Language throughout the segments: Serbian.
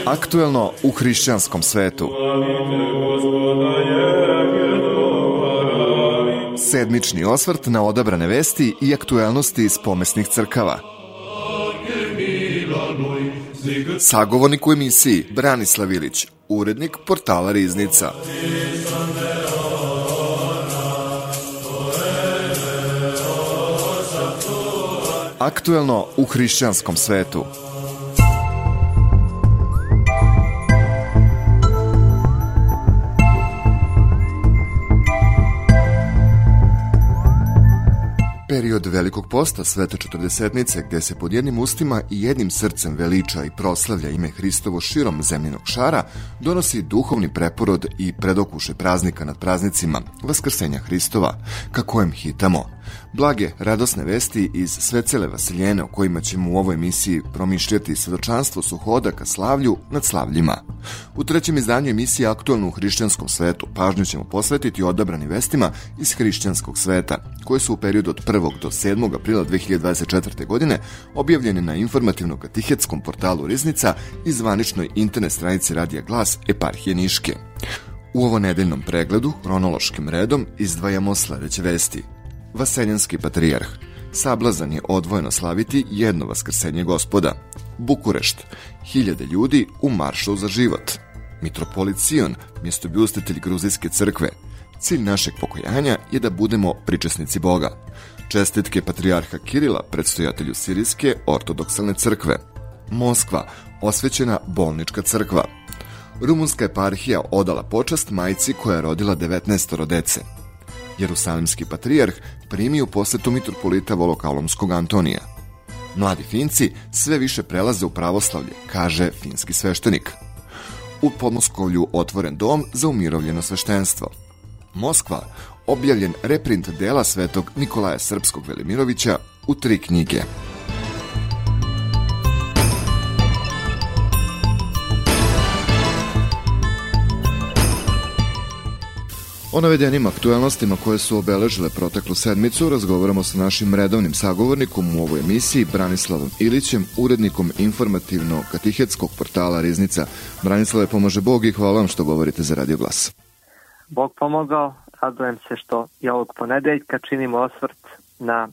Aktuelno u hrišćanskom svetu. Sedmični osvrt na odabrane vesti i aktuelnosti iz pomesnih crkava. Sagovornik u emisiji Branislav Ilić, urednik portala Riznica. Aktuelno u hrišćanskom svetu. Period Velikog posta Svete Četrdesetnice, gde se pod jednim ustima i jednim srcem veliča i proslavlja ime Hristovo širom zemljinog šara, donosi duhovni preporod i predokušaj praznika nad praznicima Vaskrsenja Hristova, ka kojem hitamo. Blage, radosne vesti iz sve cele Vasiljene o kojima ćemo u ovoj emisiji promišljati svedočanstvo Suhoda ka slavlju nad slavljima. U trećem izdanju emisije Aktuelno u hrišćanskom svetu pažnju ćemo posvetiti odabranim vestima iz hrišćanskog sveta, koje su u periodu od 1. do 7. aprila 2024. godine objavljene na informativno-katihetskom portalu Riznica i zvaničnoj internet stranici Radija Glas Eparhije Niške. U ovo nedeljnom pregledu, hronološkim redom, izdvajamo sledeće vesti. Vaseljenski patrijarh. Sablazan je odvojeno slaviti jedno vaskrsenje Gospoda. Bukurešt. 1000 ljudi u maršu za život. Mitropolit Sion, mjestobljuštitelj Gruzijske crkve. Cilj našeg pokajanja je da budemo pričesnici Boga. Čestitke patrijarha Kirila, predstojatelju Sirijske ortodoksalne crkve. Moskva, osvećena bolnička crkva. Rumunska eparhija odala počast majci koja je rodila 19 dece. Jerusalimski patrijarh primi u posetu mitropolita Volokalomskog Antonija. Mladi Finci sve više prelaze u pravoslavlje, kaže finski sveštenik. U Podmoskovlju otvoren dom za umirovljeno sveštenstvo. Moskva, objavljen reprint dela svetog Nikolaja Srpskog Velimirovića u 3 knjige. O navedenim aktuelnostima koje su obeležile proteklu sedmicu razgovaramo sa našim redovnim sagovornikom u ovoj emisiji Branislavom Ilićem, urednikom informativno-katihetskog portala Riznica. Branislave, pomaže Bog i hvala vam što govorite za Radio Glas. Bog pomogao, radujem se što i ovog ponedeljka činimo osvrt na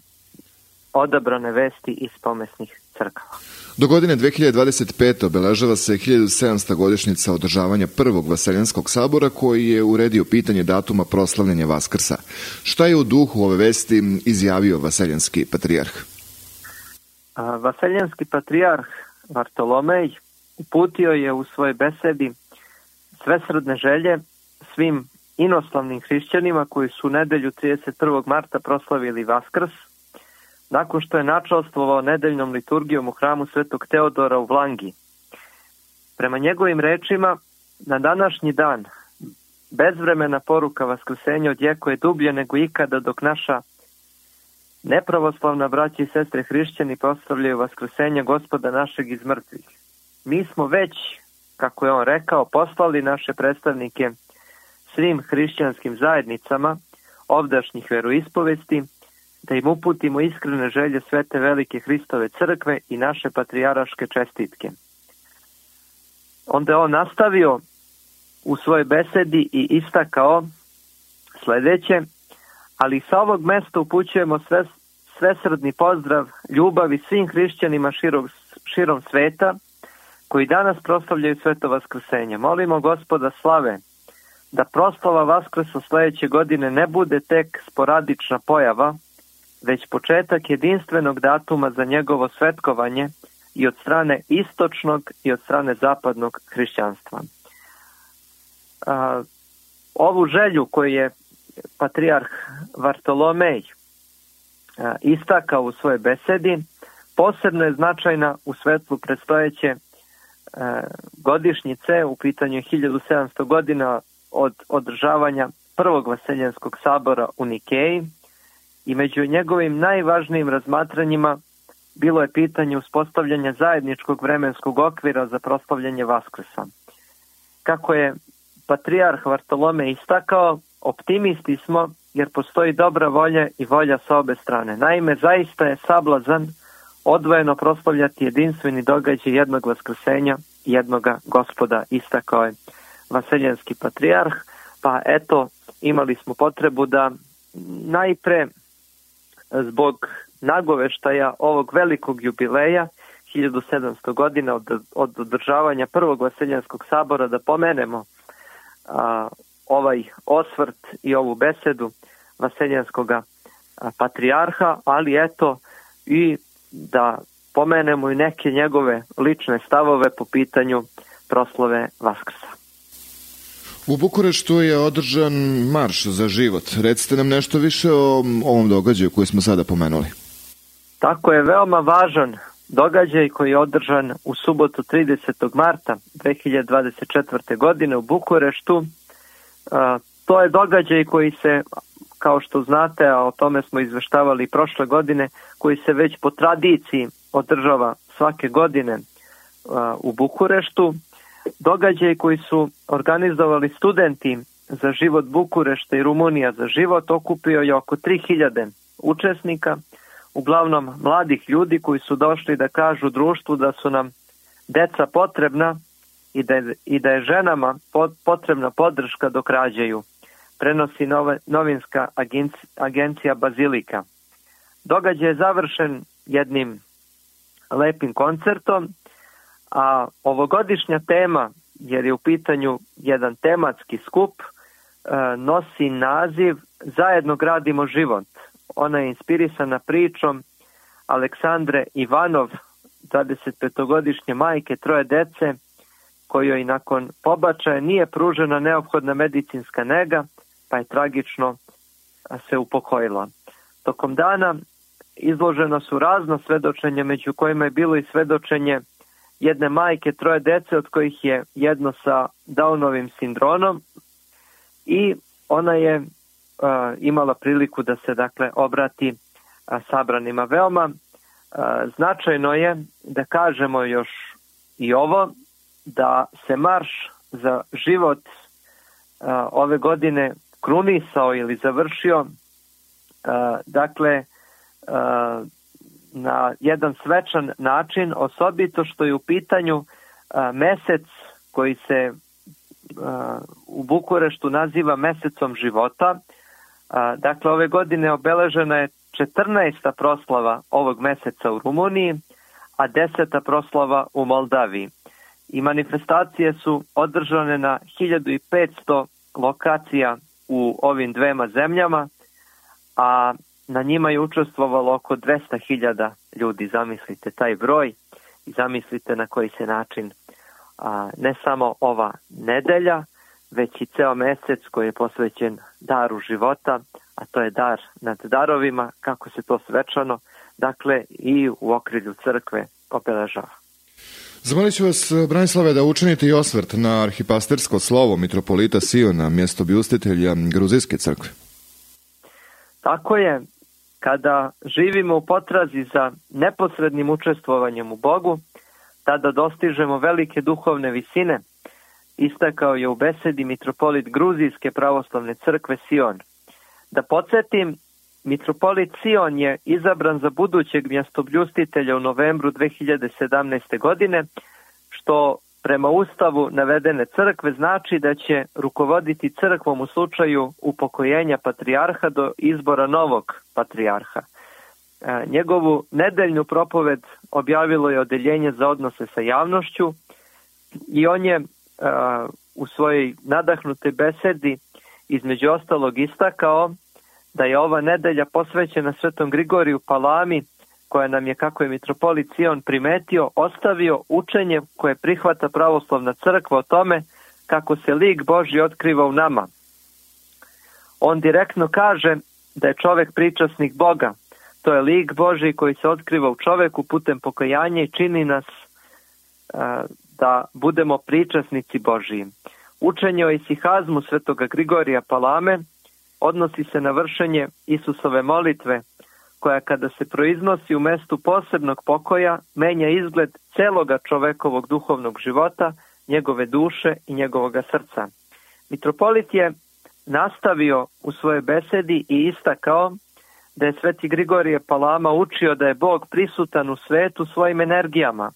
odabrane vesti iz pomesnih crkava. Do godine 2025. obeležava se 1700. godišnjica održavanja prvog Vaseljenskog sabora koji je uredio pitanje datuma proslavljanja Vaskrsa. Šta je u duhu ove vesti izjavio Vaseljenski patrijarh? Vaseljenski patrijarh Vartolomej uputio je u svojoj besedi svesrdne želje svim inoslavnim hrišćanima koji su u nedelju 31. marta proslavili Vaskrs, nakon što je načastvovao nedeljnom liturgijom u hramu Svetog Teodora u Vlangi. Prema njegovim rečima, na današnji dan bezvremena poruka vaskrsenja odjekuje dublje nego ikada, dok naša nepravoslavna braća i sestre hrišćani proslavljaju vaskrsenje Gospoda našeg iz mrtvih. Mi smo već, kako je on rekao, poslali naše predstavnike svim hrišćanskim zajednicama ovdašnjih veroispovesti, da im uputimo iskrene želje Svete Velike Hristove crkve i naše patrijaraške čestitke. Onda je on nastavio u svojoj besedi i istakao sledeće: ali sa ovog mesta upućujemo svesrdni pozdrav ljubavi svim hrišćanima širom sveta koji danas proslavljaju sveto vaskrsenje. Molimo Gospoda slave da proslava Vaskrsa sledeće godine ne bude tek sporadična pojava, već početak jedinstvenog datuma za njegovo svetkovanje i od strane istočnog i od strane zapadnog hrišćanstva. Ovu želju koju je patrijarh Vartolomej istakao u svojoj besedi posebno je značajna u svetlu predstojeće godišnjice, u pitanju je 1700 godina od održavanja prvog Vaseljenskog sabora u Nikeji, i među njegovim najvažnijim razmatranjima bilo je pitanje uspostavljanja zajedničkog vremenskog okvira za proslavljanje Vaskrsa. Kako je patrijarh Vartolomej istakao, optimisti smo jer postoji dobra volja i volja sa obe strane. Naime, zaista je sablazan odvojeno proslavljati jedinstveni događaj jednog vaskrsenja i jednoga Gospoda, istakao je vaseljenski patrijarh. Pa eto, imali smo potrebu da najpre zbog nagoveštaja ovog velikog jubileja 1700 godina od održavanja prvog vaseljenskog sabora da pomenemo ovaj osvrt i ovu besedu vaseljenskog patrijarha, ali eto i da pomenemo i neke njegove lične stavove po pitanju proslave Vaskrsa. U Bukureštu je održan marš za život. Recite nam nešto više o ovom događaju koji smo sada pomenuli. Tako je, veoma važan događaj koji je održan u subotu 30. marta 2024. godine u Bukureštu. To je događaj koji se, kao što znate, a o tome smo izveštavali prošle godine, koji se već po tradiciji održava svake godine u Bukureštu. Događaj koji su organizovali studenti za život Bukurešta i Rumunija za život okupio je oko 3000 učesnika, uglavnom mladih ljudi koji su došli da kažu društvu da su nam deca potrebna i da je ženama potrebna podrška dok rađaju, prenosi novinska agencija Bazilika. Događaj je završen jednim lepim koncertom, a ovogodišnja tema, jer je u pitanju jedan tematski skup, nosi naziv Zajedno gradimo život. Ona je inspirisana pričom Aleksandre Ivanov, 25-godišnje majke 3 dece, kojoj nakon pobačaja nije pružena neophodna medicinska nega, pa je tragično se upokojila. Tokom dana izložena su razna svedočenja, među kojima je bilo i svedočenje jedne majke 3 dece, od kojih je jedno sa Downovim sindromom, i ona je imala priliku da se obrati sabranima. Veoma značajno je da kažemo još i ovo, da se marš za život ove godine krunisao ili završio na jedan svečan način, osobito što je u pitanju mesec koji se u Bukureštu naziva mesecom života. Dakle, ove godine obeležena je 14. proslava ovog meseca u Rumuniji, a 10. proslava u Moldaviji. I manifestacije su održane na 1500 lokacija u ovim dvema zemljama, a na njima je učestvovalo oko 200.000 ljudi. Zamislite taj broj i zamislite na koji se način ne samo ova nedelja, već i ceo mesec koji je posvećen daru života, a to je dar nad darovima, kako se to svečano, i u okrilju crkve obeležava. Zamolit ću vas, Branislave, da učinite i osvrt na arhipastersko slovo mitropolita Siona, mjestobljuštitelja Gruzijske crkve. Tako je, kada živimo u potrazi za neposrednim učestvovanjem u Bogu, tada dostižemo velike duhovne visine, istakao je u besedi mitropolit Gruzijske pravoslavne crkve Sion. Da podsjetim, mitropolit Sion je izabran za budućeg mjestobljustitelja u novembru 2017. godine, što prema ustavu navedene crkve znači da će rukovoditi crkvom u slučaju upokojenja patrijarha do izbora novog patrijarha. Njegovu nedeljnu propoved objavilo je Odeljenje za odnose sa javnošću i on je u svojoj nadahnutoj besedi između ostalog istakao da je ova nedelja posvećena Svetom Grigoriju Palami, koja nam je, kako je mitropolit Sion primetio, ostavio učenje koje prihvata pravoslavna crkva o tome kako se lik Božji otkriva u nama. On direktno kaže da je čovek pričasnik Boga. To je lik Božji koji se otkriva u čoveku putem pokajanja i čini nas da budemo pričasnici Božji. Učenje o isihazmu Svetoga Grigorija Palame odnosi se na vršenje Isusove molitve, koja kada se proiznosi u mestu posebnog pokoja, menja izgled celoga čovekovog duhovnog života, njegove duše i njegovoga srca. Mitropolit je nastavio u svojoj besedi i istakao da je sveti Grigorije Palama učio da je Bog prisutan u svetu svojim energijama.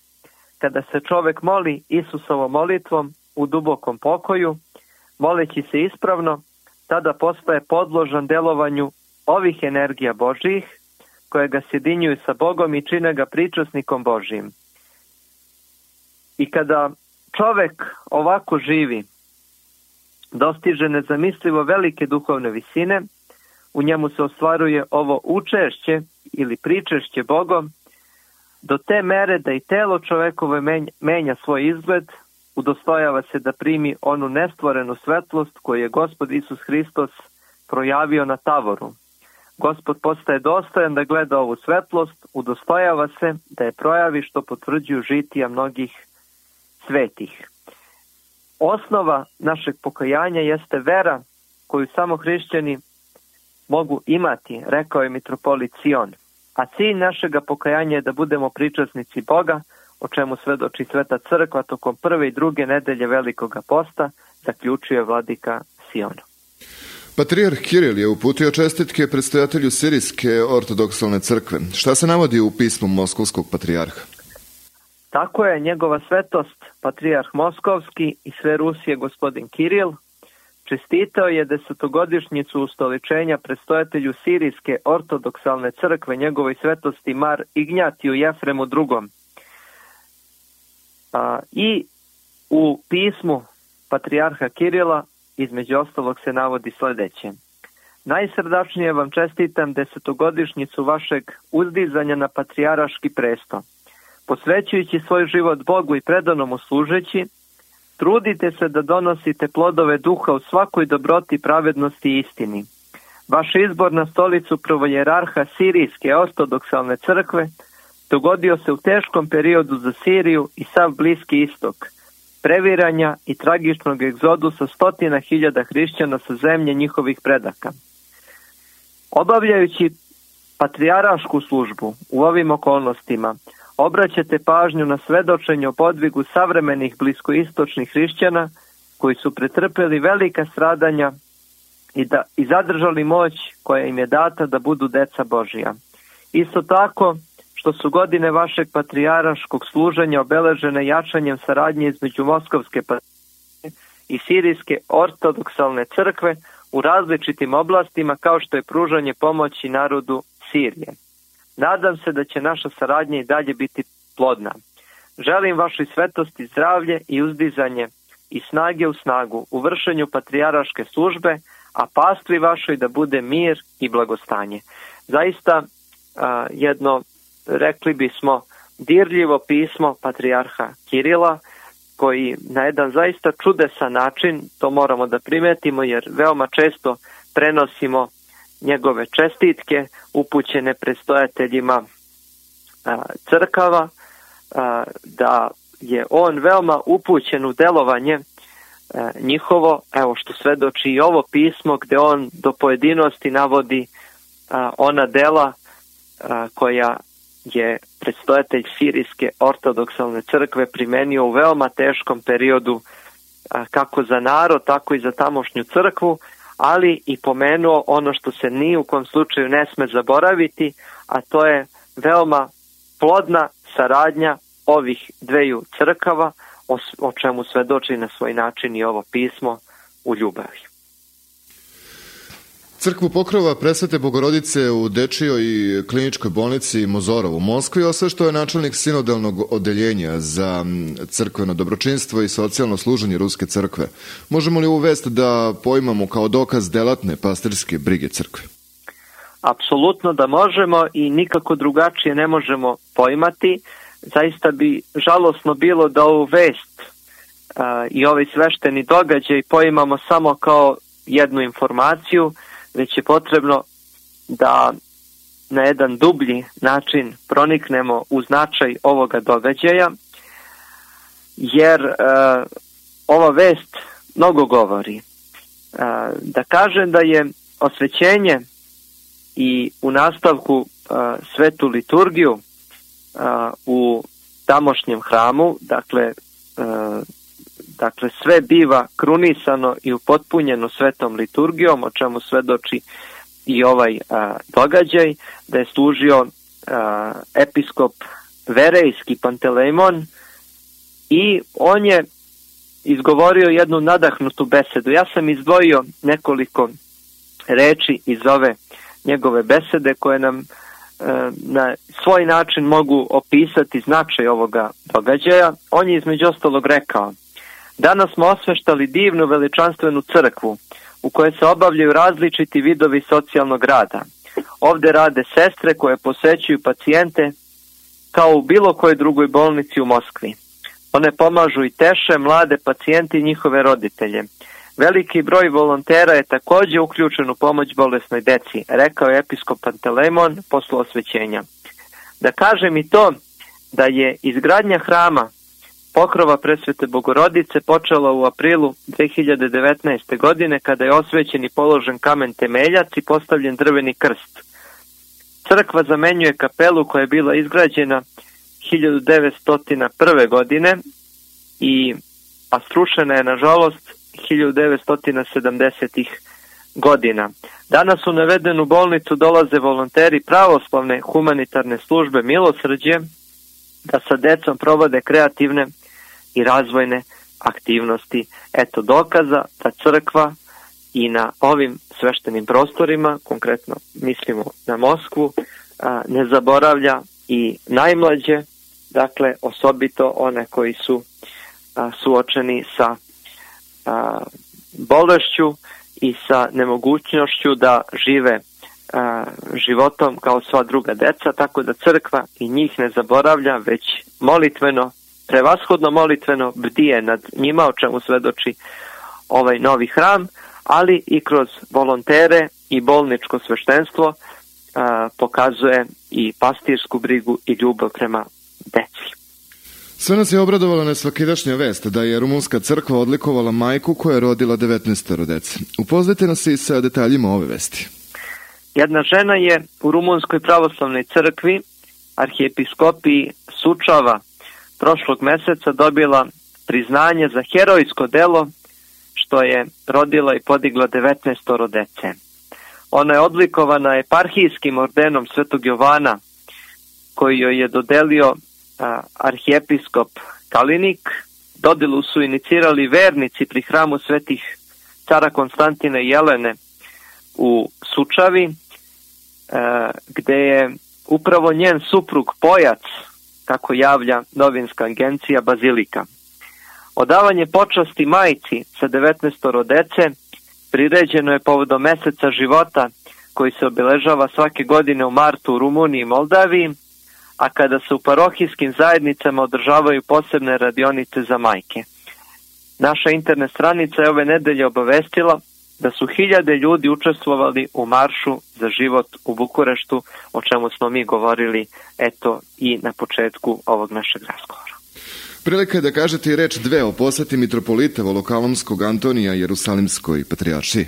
Kada se čovek moli Isusovom molitvom u dubokom pokoju, moleći se ispravno, tada postaje podložan delovanju ovih energija Božjih, koje ga sjedinjuju sa Bogom i čine ga pričasnikom Božjim. I kada čovek ovako živi, dostiže nezamislivo velike duhovne visine, u njemu se ostvaruje ovo učešće ili pričešće Bogom, do te mere da i telo čovekove menja svoj izgled, udostojava se da primi onu nestvorenu svetlost koju je Gospod Isus Hristos projavio na tavoru. Gospod postaje dostojan da gleda ovu svetlost, udostojava se da je projavi, što potvrđuju žitija mnogih svetih. Osnova našeg pokajanja jeste vera koju samo hrišćani mogu imati, rekao je mitropolit Sion. A cilj našega pokajanja je da budemo pričasnici Boga, o čemu svedoči Sveta Crkva tokom prve i druge nedelje Velikoga posta, zaključuje vladika Sion. Patrijarh Kiril je uputio čestitke predstojatelju Sirijske ortodoksalne crkve. Šta se navodi u pismu Moskovskog patrijarha? Tako je, njegova svetost, patrijarh Moskovski i sve Rusije gospodin Kiril, čestitao je 10-godišnjicu ustoličenja predstojatelju Sirijske ortodoksalne crkve njegovoj svetosti Mar Ignjatiju Jefremu II. I u pismu patrijarha Kirila između ostalog se navodi sljedeće. Najsrdačnije vam čestitam 10-godišnjicu vašeg uzdizanja na patrijaraški presto. Posvećujući svoj život Bogu i predano mu služeći, trudite se da donosite plodove duha u svakoj dobroti, pravednosti i istini. Vaš izbor na stolicu prvojerarha Sirijske ortodoksalne crkve dogodio se u teškom periodu za Siriju i sav Bliski istok, previranja i tragičnog egzodusa 100.000 hrišćana sa zemlje njihovih predaka. Obavljajući patrijarašku službu u ovim okolnostima, obraćate pažnju na svedočenje o podvigu savremenih bliskoistočnih hrišćana koji su pretrpeli velika stradanja i zadržali moć koja im je data da budu deca Božija. Isto tako što su godine vašeg patrijaraškog služenja obeležene jačanjem saradnje između Moskovske patrijaršije i Sirijske ortodoksalne crkve u različitim oblastima, kao što je pružanje pomoći narodu Sirije. Nadam se da će naša saradnja i dalje biti plodna. Želim vašoj svetosti zdravlje i uzdizanje i snage u snagu u vršenju patrijaraške službe, a pastvi vašoj da bude mir i blagostanje. Zaista jedno, rekli bismo, dirljivo pismo patrijarha Kirila, koji na jedan zaista čudesan način, to moramo da primetimo jer veoma često prenosimo njegove čestitke upućene predstojateljima crkava, da je on veoma upućen u delovanje njihovo, evo što svedoči i ovo pismo gdje on do pojedinosti navodi ona dela koja je predstojatelj Sirijske ortodoksalne crkve primenio u veoma teškom periodu kako za narod, tako i za tamošnju crkvu, ali i pomenuo ono što se ni u kom slučaju ne sme zaboraviti, a to je veoma plodna saradnja ovih dveju crkava, o čemu svedoči na svoj način i ovo pismo u ljubavi. Crkvu Pokrova Presvete Bogorodice u Dečijoj i kliničkoj bolnici Mozorov u Moskvi osveštao je načelnik sinodalnog odeljenja za crkveno dobročinstvo i socijalno služenje Ruske crkve. Možemo li ovu vest da poimamo kao dokaz delatne pastirske brige crkve? Apsolutno da možemo i nikako drugačije ne možemo poimati. Zaista bi žalosno bilo da ovu vest i ovaj svešteni događaj poimamo samo kao jednu informaciju, već je potrebno da na jedan dublji način proniknemo u značaj ovoga događaja, jer ova vest mnogo govori. Da kažem da je osvećenje i u nastavku svetu liturgiju u tamošnjem hramu, dakle Dakle, sve biva krunisano i upotpunjeno svetom liturgijom, o čemu svedoči i ovaj događaj, da je služio episkop Verejski Pantelejmon i on je izgovorio jednu nadahnutu besedu. Ja sam izdvojio nekoliko reči iz ove njegove besede koje nam na svoj način mogu opisati značaj ovoga događaja. On je između ostalog rekao: danas smo osveštali divnu veličanstvenu crkvu u kojoj se obavljaju različiti vidovi socijalnog rada. Ovde rade sestre koje posećuju pacijente kao u bilo kojoj drugoj bolnici u Moskvi. One pomažu i teše mlade pacijente i njihove roditelje. Veliki broj volontera je također uključen u pomoć bolesnoj deci, rekao je episkop Pantelejmon posle osvećenja. Da kažem i to da je izgradnja hrama Pokrova Presvete Bogorodice počela u aprilu 2019. godine kada je osvećen i položen kamen temeljac i postavljen drveni krst. Crkva zamenjuje kapelu koja je bila izgrađena 1901. godine a srušena je nažalost 1970. godina. Danas u navedenu bolnicu dolaze volonteri pravoslavne humanitarne službe Milosrđe da sa decom provode kreativne i razvojne aktivnosti. Eto dokaza da crkva i na ovim sveštenim prostorima, konkretno mislimo na Moskvu, ne zaboravlja i najmlađe, dakle osobito one koji su suočeni sa bolešću i sa nemogućnošću da žive životom kao sva druga deca, tako da crkva i njih ne zaboravlja, već molitveno, prevashodno molitveno bdije nad njima, o čemu svedoči ovaj novi hram, ali i kroz volontere i bolničko sveštenstvo pokazuje i pastirsku brigu i ljubav prema deci. Sve nas je obradovala nesvakidašnja vest da je rumunska crkva odlikovala majku koja je rodila 19 dece. Upoznajte nas i sa detaljima ove vesti. Jedna žena je u Rumunskoj pravoslavnoj crkvi, arhijepiskopiji Sučava, prošlog meseca dobila priznanje za herojsko delo što je rodila i podigla 19 dece. Ona je odlikovana eparhijskim ordenom Svetog Jovana koji joj je dodelio arhijepiskop Kalinik. Dodelu su inicirali vernici pri hramu svetih cara Konstantina i Jelene u Sučavi, gde je upravo njen suprug Pojac, kako javlja novinska agencija Bazilika. Odavanje počasti majci sa 19 dece priređeno je povodom meseca života koji se obeležava svake godine u martu u Rumuniji i Moldaviji, a kada se u parohijskim zajednicama održavaju posebne radionice za majke. Naša internet stranica je ove nedelje obavestila da su 1000 ljudi učestvovali u maršu za život u Bukureštu, o čemu smo mi govorili eto i na početku ovog našeg razgovora. Prilika je da kažete i reč dve o poseti mitropolita Volokalomskog Antonija Jerusalimskoj patrijaršiji.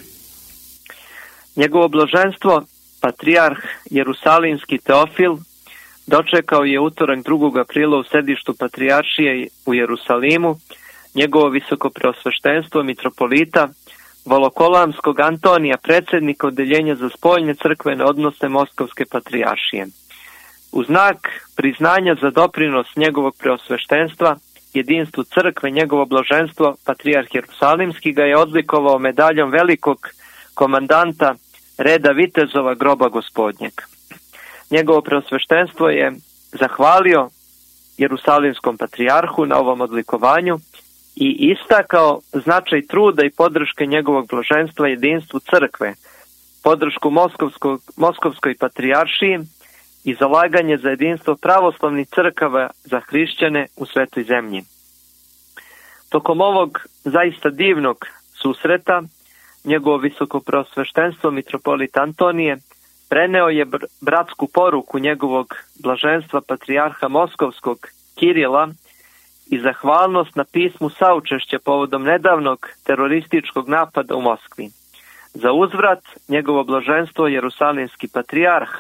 Njegovo blaženstvo, patrijarh Jerusalimski Teofil, dočekao je utorak 2. aprila u sedištu patrijaršije u Jerusalimu njegovo visokopreosveštenstvo mitropolita Volokolamskog Antonija, predsjednika odeljenja za spoljne crkvene odnose Moskovske patrijaršije. U znak priznanja za doprinos njegovog preosveštenstva jedinstvu crkve, njegovo blaženstvo patrijarh Jerusalimski ga je odlikovao medaljom velikog komandanta reda vitezova groba Gospodnjeg. Njegovo preosveštenstvo je zahvalio Jerusalimskom patrijarhu na ovom odlikovanju i istakao značaj truda i podrške njegovog blaženstva jedinstvu crkve, podršku Moskovskoj patrijaršiji i zalaganje za jedinstvo pravoslavnih crkava za hrišćane u svetoj zemlji. Tokom ovog zaista divnog susreta, njegovo visokopreosveštenstvo mitropolit Antonije preneo je bratsku poruku njegovog blaženstva patrijarha Moskovskog Kirila i zahvalnost na pismu saučešća povodom nedavnog terorističkog napada u Moskvi. Za uzvrat, njegovo blaženstvo Jerusalimski patrijarh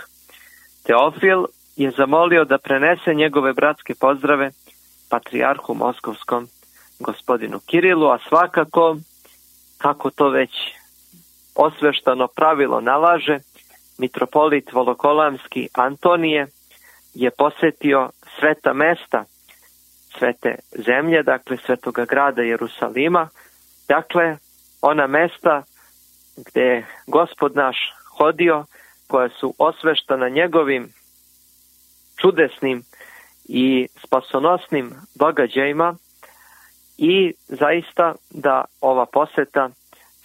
Teofil je zamolio da prenese njegove bratske pozdrave patrijarhu Moskovskom gospodinu Kirilu, a svakako, kako to već osveštano pravilo nalaže, mitropolit Volokolamski Antonije je posetio sveta mesta, svete zemlje, dakle svetoga grada Jerusalima, dakle ona mesta gdje je Gospod naš hodio, koja su osveštana njegovim čudesnim i spasonosnim događajima, i zaista da ova poseta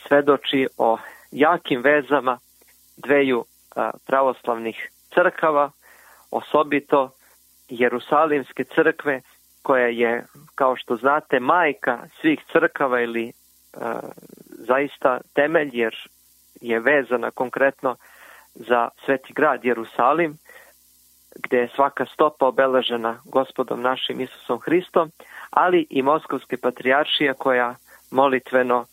svedoči o jakim vezama dveju pravoslavnih crkava, osobito Jerusalimske crkve, koja je, kao što znate, majka svih crkava ili zaista temelj, jer je vezana konkretno za sveti grad Jerusalim, gdje je svaka stopa obeležena Gospodom našim Isusom Hristom, ali i Moskovske patrijaršije koja molitveno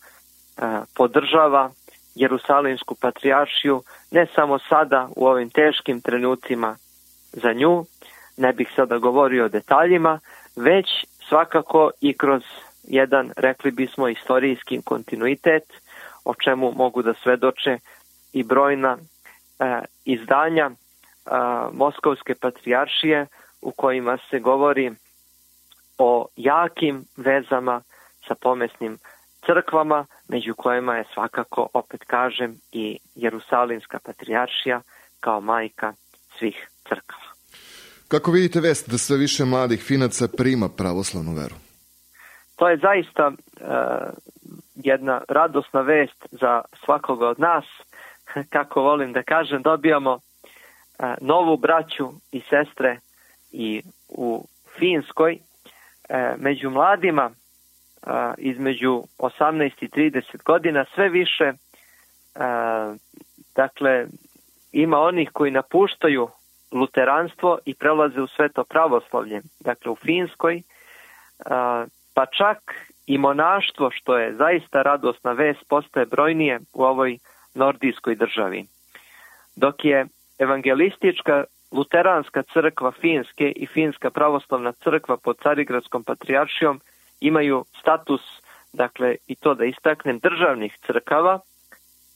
podržava Jerusalimsku patrijaršiju, ne samo sada u ovim teškim trenucima za nju, ne bih sada govorio o detaljima, već svakako i kroz jedan, rekli bismo, istorijski kontinuitet, o čemu mogu da svedoče i brojna izdanja Moskovske patrijaršije u kojima se govori o jakim vezama sa pomesnim crkvama, među kojima je svakako, opet kažem, i Jerusalimska patrijaršija kao majka svih crkava. Kako vidite vest da sve više mladih Finaca prima pravoslavnu veru? To je zaista jedna radosna vest za svakoga od nas. Kako volim da kažem, dobijamo novu braću i sestre i u Finskoj. Među mladima između 18 i 30 godina sve više, dakle, ima onih koji napuštaju luteranstvo i prelaze u sveto pravoslavlje. Dakle, u Finskoj, pa čak i monaštvo, što je zaista radosna vest, postaje brojnije u ovoj nordijskoj državi. Dok je evangelistička luteranska crkva Finske i Finska pravoslavna crkva pod Carigradskom patrijaršijom imaju status, dakle, i to da istaknem, državnih crkava,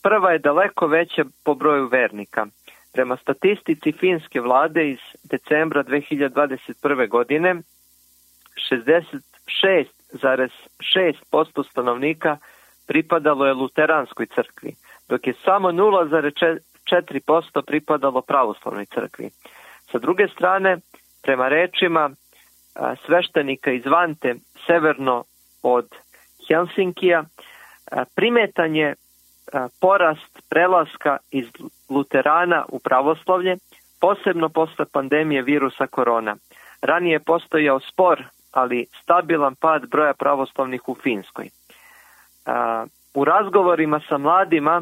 prva je daleko veća po broju vernika. Prema statistici finske vlade iz decembra 2021. godine, 66,6% stanovnika pripadalo je luteranskoj crkvi, dok je samo 0,4% pripadalo pravoslavnoj crkvi. Sa druge strane, prema rečima sveštenika iz Vante, severno od Helsinkija, primetan je porast prelaska iz luterana u pravoslavlje, posebno posle pandemije virusa korona. Ranije je postojao spor, ali stabilan pad broja pravoslavnih u Finskoj. U razgovorima sa mladima,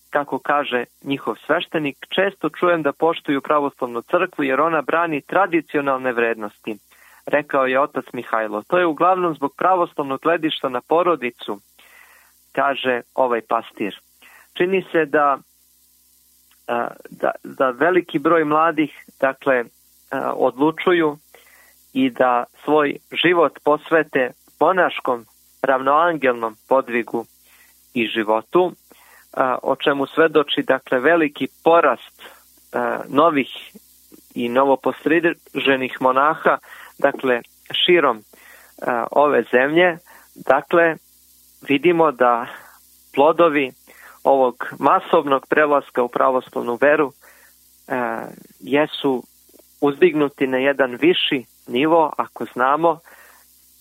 kako kaže njihov sveštenik, često čujem da poštuju pravoslavnu crkvu jer ona brani tradicionalne vrednosti, rekao je otac Mihajlo. To je uglavnom zbog pravoslavnog gledišta na porodicu, kaže ovaj pastir. Čini se da veliki broj mladih, dakle, odlučuju i da svoj život posvete monaškom ravnoangelnom podvigu i životu, o čemu svedoči, dakle, veliki porast novih i novopostriženih monaha, dakle, širom ove zemlje. Dakle, vidimo da plodovi ovog masovnog prelaska u pravoslavnu veru jesu uzdignuti na jedan viši nivo, ako znamo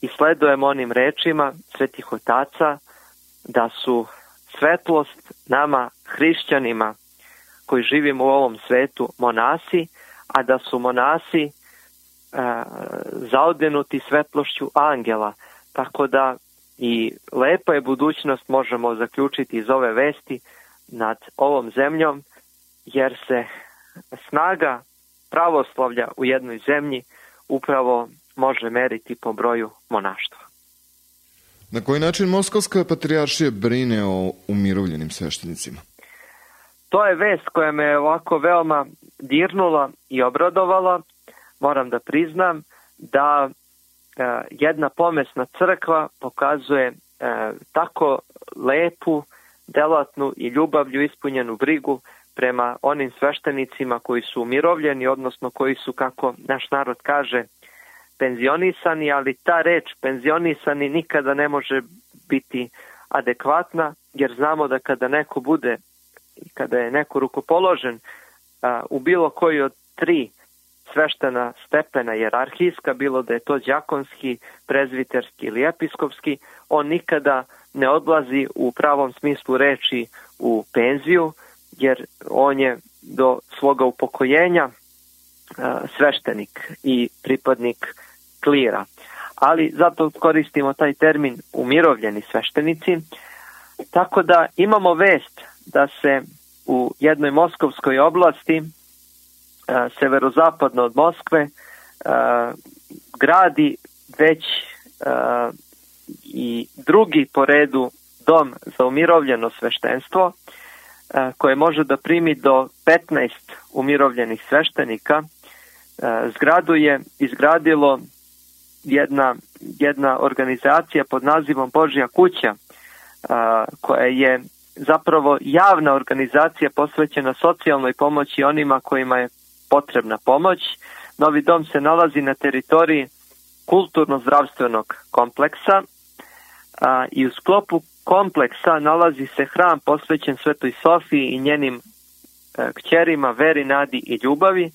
i sledujemo onim rečima svetih otaca da su svetlost nama hrišćanima koji živimo u ovom svetu monasi, a da su monasi zaodenuti svetlošću angela. Tako da i lepa je budućnost, možemo zaključiti iz ove vesti, nad ovom zemljom, jer se snaga pravoslavlja u jednoj zemlji upravo može meriti po broju monaštva. Na koji način Moskovska patrijaršija brine o umirovljenim sveštenicima? To je vest koja me ovako veoma dirnula i obradovala. Moram da priznam da jedna pomesna crkva pokazuje tako lepu, delatnu i ljubavlju ispunjenu brigu prema onim sveštenicima koji su umirovljeni, odnosno koji su, kako naš narod kaže, penzionisani, ali ta reč penzionisani nikada ne može biti adekvatna, jer znamo da kada neko bude, kada je neko rukopoložen u bilo koji od 3 sveštena stepena hijerarhijska, bilo da je to đakonski, prezviterski ili episkopski, on nikada ne odlazi u pravom smislu reči u penziju, jer on je do svoga upokojenja sveštenik i pripadnik klira. Ali zato koristimo taj termin umirovljeni sveštenici. Tako da imamo vest da se u jednoj moskovskoj oblasti, severozapadno od Moskve, gradi već i drugi po redu dom za umirovljeno sveštenstvo, koje može da primi do 15 umirovljenih sveštenika. Zgradu je izgradilo jedna organizacija pod nazivom Božja kuća, koja je zapravo javna organizacija posvećena socijalnoj pomoći onima kojima je potrebna pomoć. Novi dom se nalazi na teritoriji kulturno-zdravstvenog kompleksa i u sklopu kompleksa nalazi se hram posvećen Svetoj Sofiji i njenim kćerima Veri, Nadi i Ljubavi,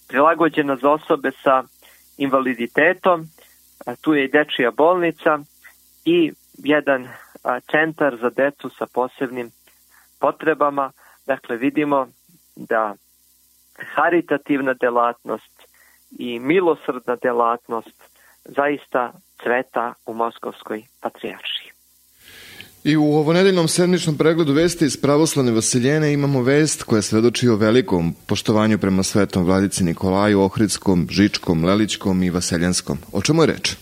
prilagođena za osobe sa invaliditetom. Tu je i dečija bolnica i jedan centar za decu sa posebnim potrebama. Dakle, vidimo da haritativna delatnost i milosrdna delatnost zaista cveta u Moskovskoj patrijaršiji. I u ovonedeljnom sedmičnom pregledu vesti iz pravoslavne Vasiljene imamo vest koja svedoči o velikom poštovanju prema svetom vladici Nikolaju Ohridskom, Žičkom, Lelićkom i Vaseljanskom. O čemu je reč?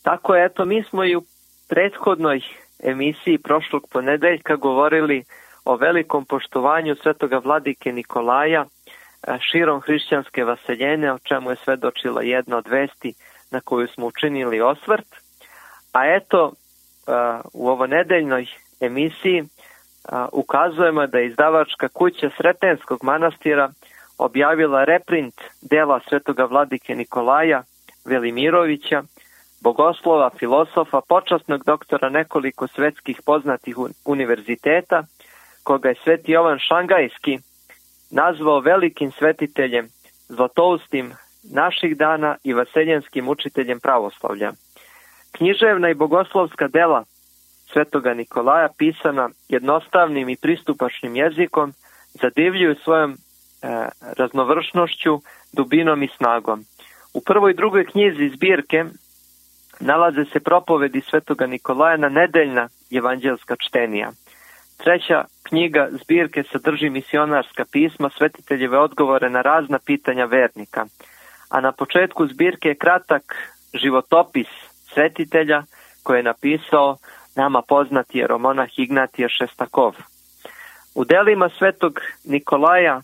Tako je, eto, mi smo i u prethodnoj emisiji prošlog ponedeljka govorili o velikom poštovanju svetoga vladike Nikolaja širom hrišćanske Vaseljene, o čemu je svedočila jedna od vesti na koju smo učinili osvrt. A eto, u ovonedeljnoj emisiji ukazujemo da je izdavačka kuća Sretenskog manastira objavila reprint dela svetoga vladike Nikolaja Velimirovića, bogoslova, filosofa, počasnog doktora nekoliko svetskih poznatih univerziteta, koga je sveti Jovan Šangajski nazvao velikim svetiteljem, zlatoustim naših dana i vaseljanskim učiteljem pravoslavlja. Književna i bogoslovska dela svetoga Nikolaja, pisana jednostavnim i pristupačnim jezikom, zadivljuju svojom raznovršnošću, dubinom i snagom. U prvoj i drugoj knjizi zbirke nalaze se propovedi svetoga Nikolaja na nedeljna evanđelska čtenija. Treća knjiga zbirke sadrži misionarska pisma, svetiteljeve odgovore na razna pitanja vernika. A na početku zbirke je kratak životopis svetitelja koje je napisao nama poznati jeromonah Ignatije Šestakov. U delima svetog Nikolaja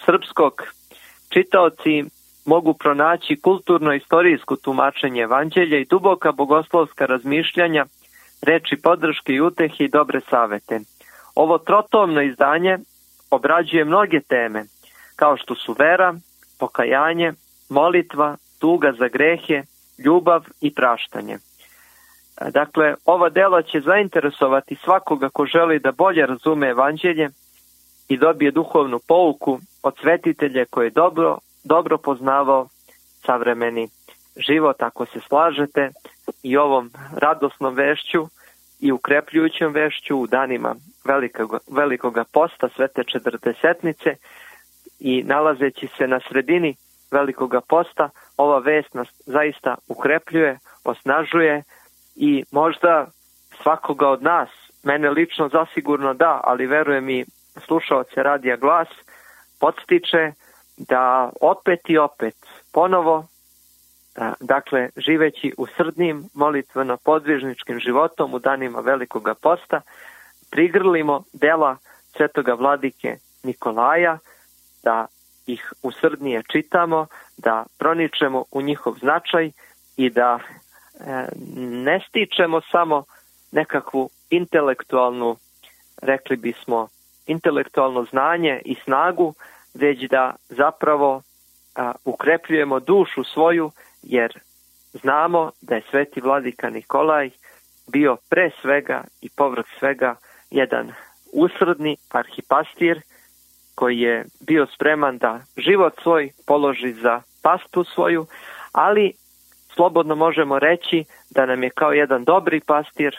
srpskog čitaoci mogu pronaći kulturno-istorijsko tumačenje evanđelja i duboka bogoslovska razmišljanja, reči podrške i utehe i dobre savete. Ovo trotomno izdanje obrađuje mnoge teme, kao što su vera, pokajanje, molitva, tuga za grehe, ljubav i praštanje. Dakle, ova dela će zainteresovati svakoga ko želi da bolje razume evanđelje i dobije duhovnu pouku od svetitelja koji je dobro poznavao savremeni život. Ako se slažete i ovom radosnom vešću i ukrepljujućom vešću u danima velikoga posta Svete Četrdesetnice i nalazeći se na sredini velikoga posta, ova vest nas zaista ukrepljuje, osnažuje i možda svakoga od nas, mene lično zasigurno da, ali verujem i slušaoce Radija Glas, podstiče da opet i opet ponovo, dakle živeći u srdnim molitveno-podvižničkim životom u danima velikoga posta, prigrlimo dela svetoga vladike Nikolaja, da ih usrdnije čitamo, da proničemo u njihov značaj i da ne stičemo samo nekakvu intelektualnu, rekli bismo, intelektualno znanje i snagu, već da zapravo ukrepljujemo dušu svoju, jer znamo da je sveti vladika Nikolaj bio pre svega i povrh svega jedan usrdni arhipastir koji je bio spreman da život svoj položi za pastu svoju, ali slobodno možemo reći da nam je kao jedan dobri pastir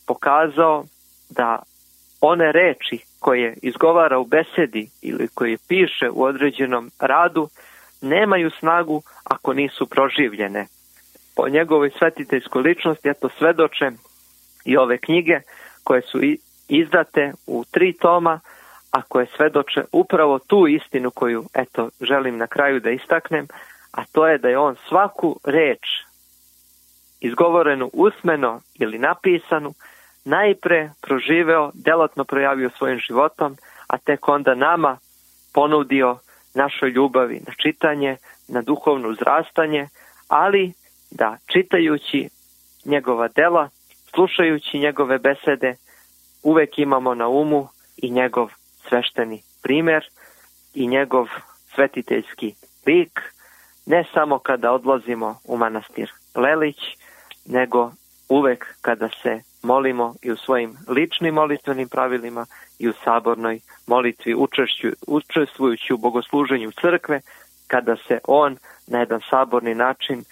pokazao da one reči koje izgovara u besedi ili koje piše u određenom radu nemaju snagu ako nisu proživljene. Po njegovoj svetiteljskoj ličnosti, eto, svedoče i ove knjige koje su izdate u 3 toma, a koje svedoče upravo tu istinu koju, eto, želim na kraju da istaknem, a to je da je on svaku reč izgovorenu usmeno ili napisanu najpre proživeo, delotno projavio svojim životom, a tek onda nama ponudio našoj ljubavi na čitanje, na duhovno uzrastanje, ali da čitajući njegova dela, slušajući njegove besede, uvek imamo na umu i njegov svešteni primer i njegov svetiteljski lik, ne samo kada odlazimo u manastir Lelić, nego uvek kada se molimo i u svojim ličnim molitvenim pravilima i u sabornoj molitvi učestvujući u bogosluženju crkve, kada se on na jedan saborni način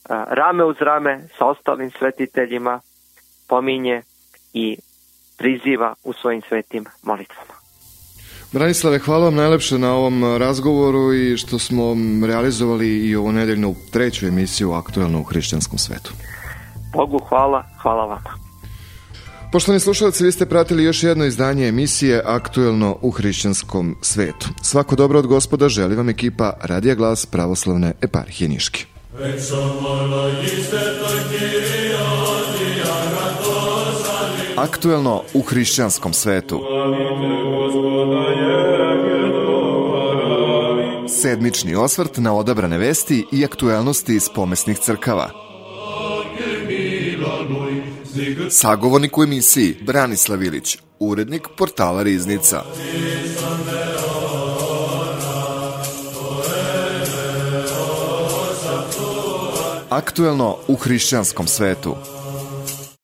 rame uz rame sa ostalim svetiteljima pominje i priziva u svojim svetim molitvama. Branislave, hvala vam najlepše na ovom razgovoru i što smo realizovali i ovu nedeljnu 3. emisiju Aktuelno u hrišćanskom svetu. Bogu hvala, hvala vama. Poštovani slušalci, vi ste pratili još jedno izdanje emisije Aktuelno u hrišćanskom svetu. Svako dobro od Gospoda želi vam ekipa Radija Glas Pravoslavne eparhije Niški. Aktuelno u hrišćanskom svetu. Sedmični osvrt na odabrane vesti i aktuelnosti iz pomesnih crkava. Sagovornik u emisiji Branislav Ilić, urednik portala Riznica. Aktuelno u hrišćanskom svetu.